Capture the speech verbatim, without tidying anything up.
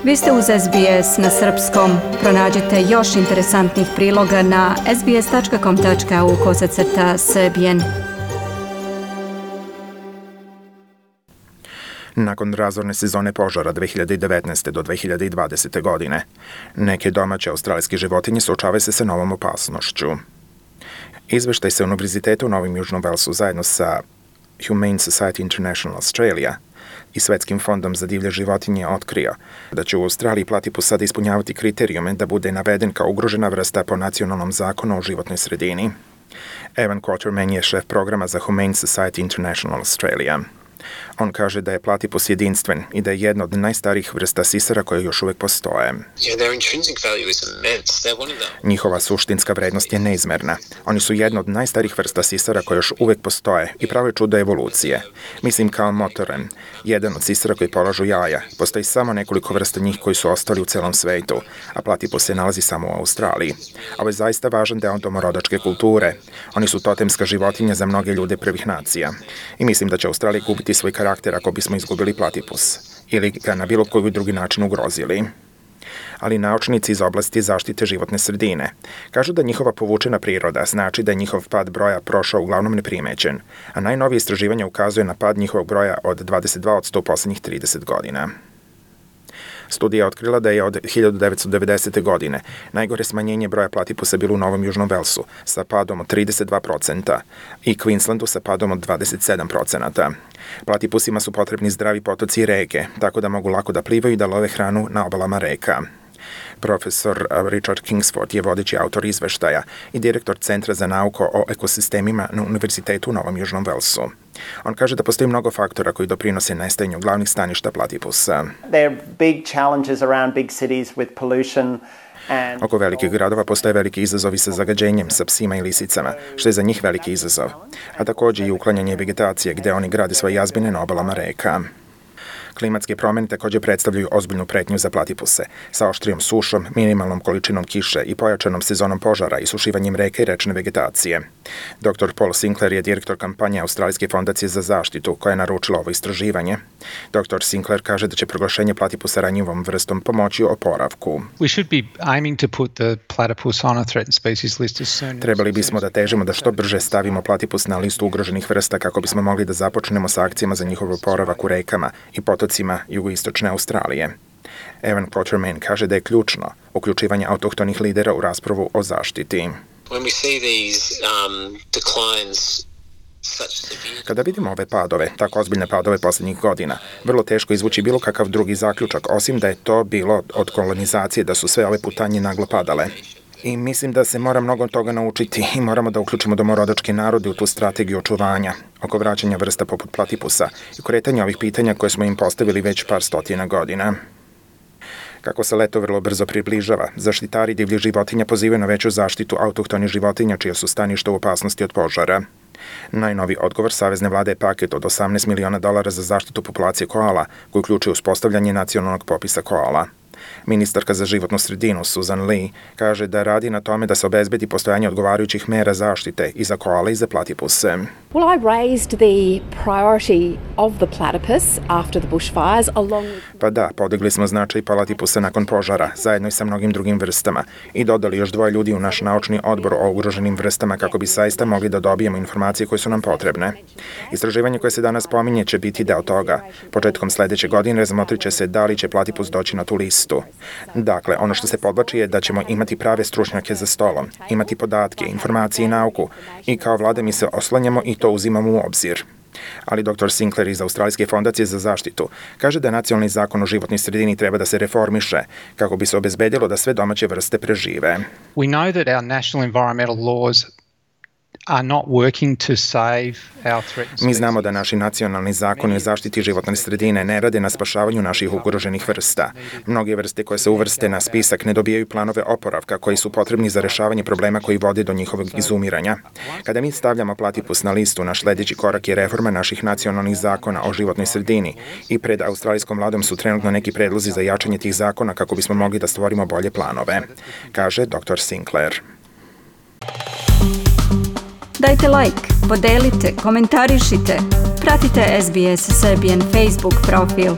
Vi ste uz S B S na srpskom. Pronađite još interesantnih priloga na sbs tačka com tačka au kosacrta srbijen. Nakon razorne sezone požara dve hiljade devetnaeste do dve hiljade dvadesete. godine, neke domaće australijske životinje suočavaju se sa novom opasnošću. Izveštaj sa Univerziteta u Novom Južnom Velsu zajedno sa Humane Society International Australia i Svetskim fondom za divlje životinje otkrio da će u Australiji platipus sada ispunjavati kriterijume da bude naveden kao ugrožena vrsta po nacionalnom zakonu o životnoj sredini. Evan Quatermain je šef programa za Humane Society International Australia. On kaže da je platipus jedinstven i da je jedna od najstarijih vrsta sisara koje još uvek postoje. Njihova suštinska vrednost je neizmerna. Oni su jedna od najstarijih vrsta sisara koje još uvek postoje i prave čudo evolucije. Mislim kao motoren, jedan od sisara koji polažu jaja. Postoji samo nekoliko vrsta njih koji su ostali u celom svetu, a platipus se nalazi samo u Australiji. Ovo je zaista važan deo domorodačke kulture. Oni su totemska životinja za mnoge ljude prvih nacija. I mislim da će Australija gubiti svoj karakter ako bismo izgubili platipus ili ga na bilo koji drugi način ugrozili. Ali naučnici iz oblasti zaštite životne sredine kažu da njihova povučena priroda znači da je njihov pad broja prošao uglavnom neprimećen, a najnovije istraživanje ukazuje na pad njihovog broja od dvadeset dva posto u poslednjih trideset godina. Studija je otkrila da je od hiljadu devetsto devedesete. godine najgore smanjenje broja platipusa bilo u Novom Južnom Velsu sa padom od trideset dva procenta i Queenslandu sa padom od dvadeset sedam procenta. Platipusima su potrebni zdravi potoci i reke, tako da mogu lako da plivaju i da love hranu na obalama reka. Profesor Richard Kingsford je vodeći autor izveštaja i direktor Centra za nauku o ekosistemima na Univerzitetu u Novom Južnom Velsu. On kaže da postoji mnogo faktora koji doprinose nestajanju glavnih staništa platipusa. Oko velikih gradova postoje veliki izazovi sa zagađenjem, sa psima i lisicama, što je za njih veliki izazov, a takođe i uklanjanje vegetacije gde oni grade svoje jazbine na obalama reka. Klimatske promene takođe predstavljaju ozbiljnu pretnju za platipuse, sa oštrijom sušom, minimalnom količinom kiše i pojačanom sezonom požara i sušivanjem reke i rečne vegetacije. doktor Paul Sinclair je direktor kampanje Australijske fondacije za zaštitu koja je naručila ovo istraživanje. doktor Sinclair kaže da će proglašenje platipusa ranjivom vrstom pomoći u oporavku. Trebali bismo da težimo da što brže stavimo platipus na listu ugroženih vrsta kako bismo mogli da započnemo sa akcijama za njihov oporavak u rekama i potocima jugoistočne Australije. Evan Quatermain kaže da je ključno uključivanje autohtonih lidera u raspravu o zaštiti. Kada vidimo ove padove, tako ozbiljne padove poslednjih godina, vrlo teško izvući bilo kakav drugi zaključak, osim da je to bilo od kolonizacije, da su sve ove putanje naglo padale. I mislim da se mora mnogo toga naučiti i moramo da uključimo domorodačke narode u tu strategiju očuvanja, oko vraćanja vrsta poput platipusa i kretanja ovih pitanja koje smo im postavili već par stotina godina. Kako se leto vrlo brzo približava, zaštitari divljih životinja pozivaju na veću zaštitu autohtonih životinja čija su staništa u opasnosti od požara. Najnovi odgovor Savezne vlade je paket od osamnaest miliona dolara za zaštitu populacije koala, koji uključuje uspostavljanje nacionalnog popisa koala. Ministarka za životnu sredinu Susan Lee kaže da radi na tome da se obezbedi postojanje odgovarajućih mera zaštite i za koale i za platipuse. Well, I raised the priority of the platypus after the bushfires along with... Pa da, podigli smo značaj platipusa nakon požara, zajedno i sa mnogim drugim vrstama, i dodali još dvoje ljudi u naš naučni odbor o ugroženim vrstama kako bi zaista mogli da dobijemo informacije koje su nam potrebne. Istraživanje koje se danas pominje će biti deo toga. Početkom sledeće godine razmotrit će se da li će platipus doći na tu listu. Dakle, ono što se podvlači je da ćemo imati prave stručnjake za stolom, imati podatke, informacije i nauku i kao vlada mi se oslanjamo i to uzimamo u obzir. Ali doktor Sinclair iz Australijske fondacije za zaštitu kaže da nacionalni zakon o životnoj sredini treba da se reformiše kako bi se obezbedilo da sve domaće vrste prežive. We know that our national environmental laws are not working to save our threatened species. Mi znamo da naši nacionalni zakoni o zaštiti životne sredine ne rade na spašavanju naših ugroženih vrsta. Mnoge vrste koje se uvrste na spisak ne dobijaju planove oporavka koji su potrebni za rešavanje problema koji vode do njihovog izumiranja. Kada mi stavljamo platipus na listu, naš sledeći korak je reforma naših nacionalnih zakona o životnoj sredini i pred australijskom vladom su trenutno neki predlozi za jačanje tih zakona kako bismo mogli da stvorimo bolje planove, kaže doktor Sinclair. Dajte like, podelite, komentarišite, pratite S B S Serbian Facebook profil.